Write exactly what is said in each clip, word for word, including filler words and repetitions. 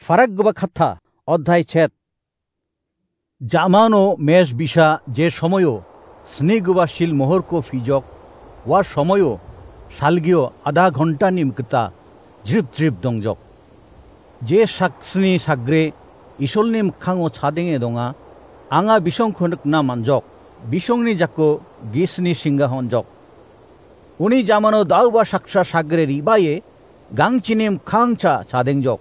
Farakgipa katta, odhai chet. Jamano mes bisa je somoyo snigipa sil mohorko pijok, ua somoyo salgio adha ghontani mikgita jrip jrip dongjok. Je saksni sagre Isolni mikkango chadenge donga, anga bisongko nikna man·jok, bisongni jako gisni singga honjok. Uni jamano dauba saksa sagre ribaye gangchini mikkangcha chadengjok.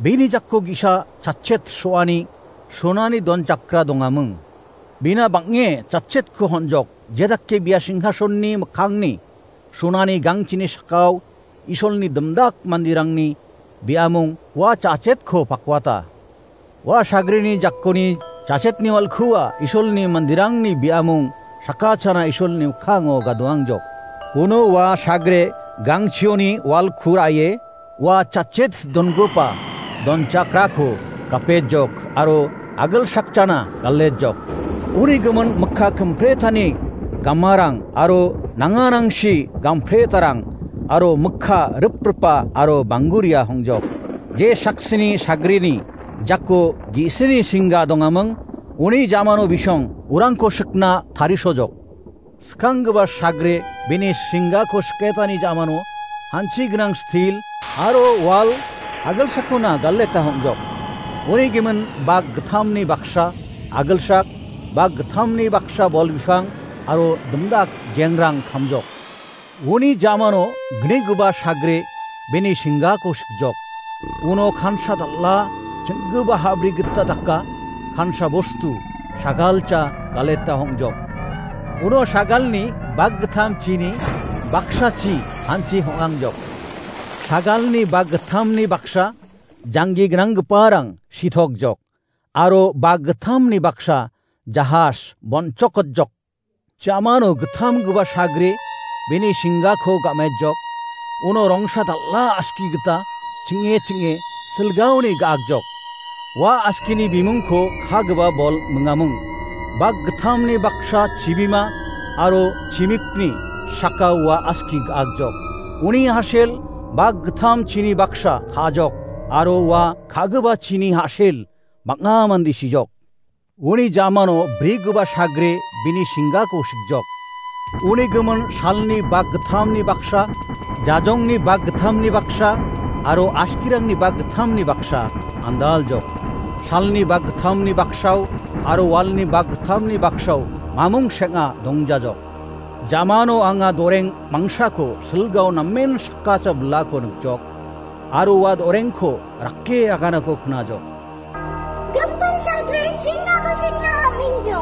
Bini jako gisa chachet so·ani sonani donchakra dongaming. Bina bang·e chachetko honjok, jedake bia singhasonni mikkangni sonani gangchini sakao Isolni dimdak mandirangni biamung ua chachetko pakwata. Ua sagrini jakoni chachetni walkua Isolni mandirangni biamung sakachana Isolni mikkango gadoangjok. Uno ua sagre gangchioni walku ra·e ua chachet dongipa donchakrako gapejok aro agilsakchana galejok. Uni gimin mikka kimpretani gamarang aro nanganangsi gampretarang aro mikka ripripa aro bangguria hongjok. Je saksini sagrini jako gi·sini singga dongaming, uni jamano bisong urangko sikna tarisojok. Skanggipa sagre bini singako siketani jamano hanchi gnang stil aro wal agilsakona galeta hongjok. Uni gimin bak gittamni baksa agilsak, bak gittamni baksa bol bipang aro dimdak jengrang kamjok. Uni jamano gnigipa sagre bini singako sikjok. Uno kansa dal·a ching·gipa habri gita daka kansa bostu sagalcha galeta hongjok. Uno sagalni bak gittam chini baksa chi hanchi hongangjok. Sagalni bak gittamni baksa janggi gnanggiparang sitokjok. Aro bak gittamni baksa jahas bonchokotjok. Jamano gittamgipa sagre bini singako gamejok, uno rongsa dal·a aski gita ching·e ching·e silgaoni ga·akjok. Ua askini bimungko kagipa bol mingamung. Bak gittamni baksa chibima aro chimikni saka ua aski ga·akjok. Uni hasel bak gittam chini baksa ka·ajok aro ua ka·gipa chini hasel bang·a mande sijok. Uni jamano brigipa sagre bini singako sikjok. Uni gimin salni bak gittamni baksa, jajongni bak gittamni baksa, aro askirangni bak gittamni baksa andaljok. Salni bak gittamni baksao aro walni bak gittamni baksao mamung seng·a dongjajok. Jamano anga doreng mangsako silgao namen sakacha bilako nikjok, aro ua dorengko rake aganako knajok. Gipin sagre singako sikna hamengjo.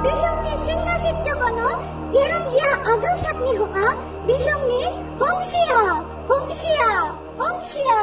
Bisongni singa sikjokono, jerong ia agilsakni hong·a, bisongni hongsia, hongsia, hongsia.